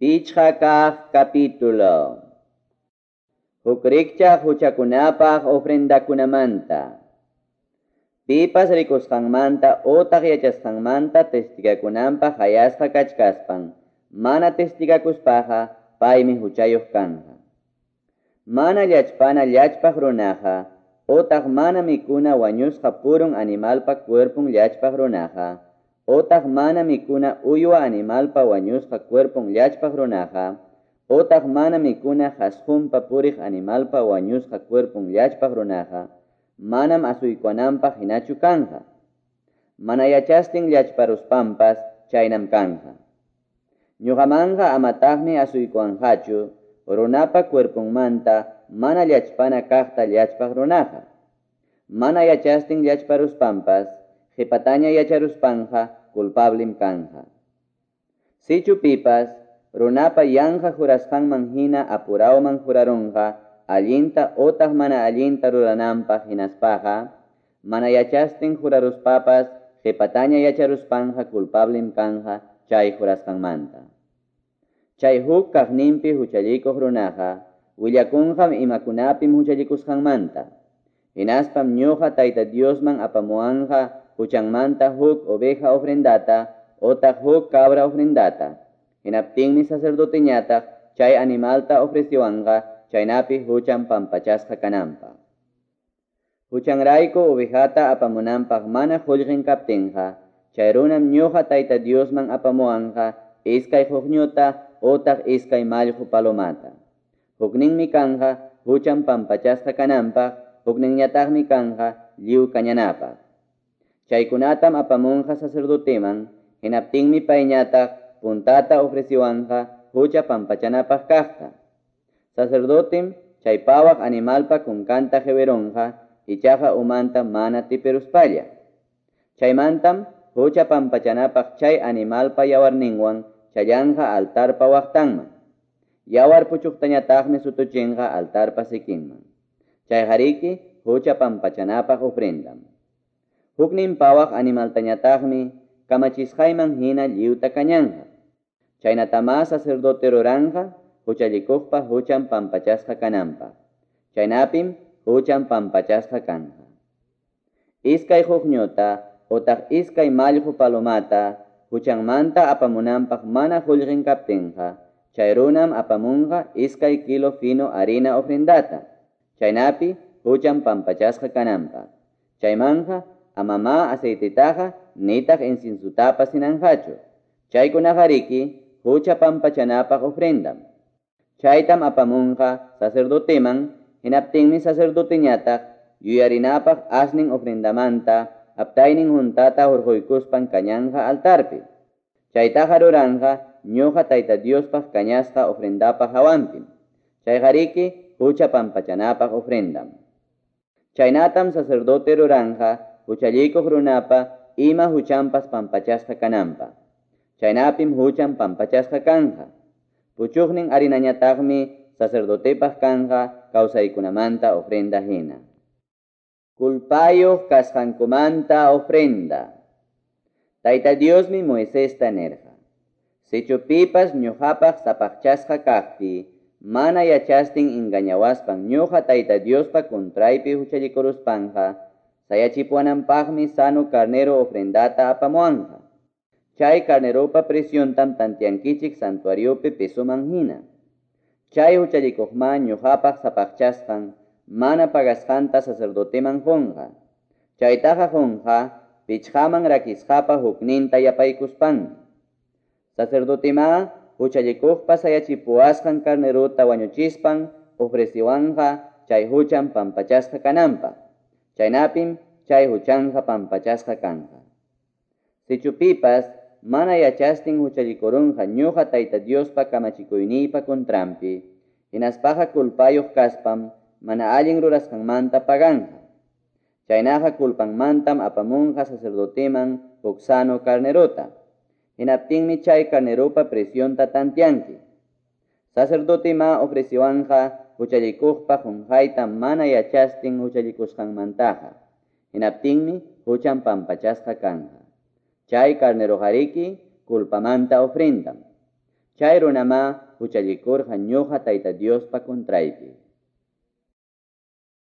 Pichqa kaq capítulo. Huk rikchaq huchakunapaq ofrendakunamanta. Pipas rikusqanmanta utaq yachasqanmanta testigakunanpaq hayasqa kachkaspan, mana testigakuspaqa paymi huchayuq kanqa. Mana llachpana llachpaq runaqa, utaq mana mikuna wañusqa purun animalpa cuerpon llachpaq runaqa, utaq mana mikuna uywa animalpa wañusqa cuerpon llachpaq runaqa, utaq mana mikuna qhasqunpa puriq animalpa wañusqa cuerpon llachpaq runaqa, manam asuykuwananpaq hinachu kanqa. Mana yachastin llachparuspanpas chaynam kanqa. Ñuqamanqa amataqmi asuykuwanqachu runapa cuerponmanta mana llachpana kaqta llachpaq runaqa. Mana yachastin llachparuspanpas qhipataña yacharuspanqa culpablem kanqa. Sichu pipas runapa yanqa jurasqanman hina apurawman jurarunqa allinta utaq mana allinta rurananpaq hinaspaqa, mana yachastin juraruspapas qhipataña yacharuspanqa culpablem kanqa chay jurasqanmanta. Chay huk kaqninpi huchallikuq runaqa willakunqam imakunapim huchallikusqanmanta. Hinaspam ñuqa Tayta Diosman apamuwanqa huchanmanta huk oveja ofrendata utaq huk cabra ofrendata. Hinaptinmi sacerdoteñataq chay animalta ofreciwanqa chaynapi huchan pampachasqa kananpaq. Huchanrayku ovejata apamunanpaq mana qullqin kaptinqa, chay runam ñuqa Tayta Diosman apamuwanqa iskay quqñuta utaq iskay mallqu palomata. Hukninmi kanqa huchan pampachasqa kananpaq, hukninñataqmi kanqa lliw kañanapaq. Chaykunatam apamunqa sacerdoteman, hinaptinmi payñataq puntata ofreciwanqa hucha pampachanapaq kaqta. Sacerdotem chay pawaq animalpa kunkanta qiwirunqa, ichaqa umanta mana tipiruspalla. Chaymantam hucha pampachanapaq chay animalpa yawarninwan challanqa altarpa waqtanman. Yawar puchuqtañataqmi sutuchinqa altarpa sikinman. Chayqariki hucha pampachanapaq ofrendam. Huknin pawaq animaltañataqmi kamachisqayman hina lliwta kañanqa. Chaynatamá sacerdote ruranqa huchallikuqpa huchan pampachasqa kananpaq. Chaynapim huchan pampachasqa kanqa. Iskay quqñuta utaq iskay mallqu palomata huchanmanta apamunanpaq mana qullqin kaptinqa, chay runam apamunqa iskay kilo fino harina ofrendata, chaynapi huchan pampachasqa kananpaq. Chaymanqa amamá aceitetaqa nitaq inciensutapas hinanqachu. Chaykunaqariki hucha pampachanapaq ofrendam. Chaytam apamunqa sacerdoteman, hinaptinmi sacerdoteñataq yuyarinapaq asnin ofrendamanta aptaynin huntata hurquykuspan kañanqa altarpi. Chaytaqa ruranqa ñuqa Tayta Diospaq kañasqa ofrendapa hawanpim. Chayqariki hucha pampachanapaq ofrendam. Chaynatam sacerdote ruranqa huchallikuq runapa ima huchanpas pampachasqa kananpaq. Chaynapim huchan pampachasqa kanqa. Puchuqnin harinañataqmi sacerdotepaq kanqa kawsaykunamanta ofrenda hina. Culpayuq kasqankumanta ofrenda. Tayta Diosmi Moisesta nirqa: Sichu pipas ñuqapaq sapaqchasqa kaqpi, mana yachastin engañawaspan ñuqa Tayta Diospa contraypi huchallikuruspanqa, sayachipuwananpaqmi sano carnero ofrendata apamuwanqa. Chay carneropa preciontam tantiankichik santuariopi pesoman hina. Chay huchallikuqma ñuqapaq sapaqchasqan mana pagasqanta sacerdoteman qunqa. Chaytaqa qunqa pichqaman rakisqapa hukninta yapaykuspanmi. Sacerdotemá huchallikuqpa sayachipuwasqan carnerota wañuchispan ofreciwanqa chay huchan pampachasqa kananpaq. Chaynapim chay huchanqa pampachasqa kanqa. Sichu pipas mana yachastin huchallikurunqa ñuqa Tayta Diospa kamachikuyniypa contranpi, hinaspaqa culpayuq kaspam mana allin rurasqanmanta paganqa. Chaynaqa culpanmantam apamunqa sacerdoteman huk sano carnerota. Hinaptinmi chay carneropa precionta tantianki. Sacerdotemá ofreciwanqa huchallikuqpa qunqayta mana yachastin huchallikusqanmantaqa. Hinaptinmi huchan pampachasqa kanqa. Chay carneroqariki culpamanta ofrendam. Chay runamá huchallikurqa ñoqa Tayta Diospa contraypi.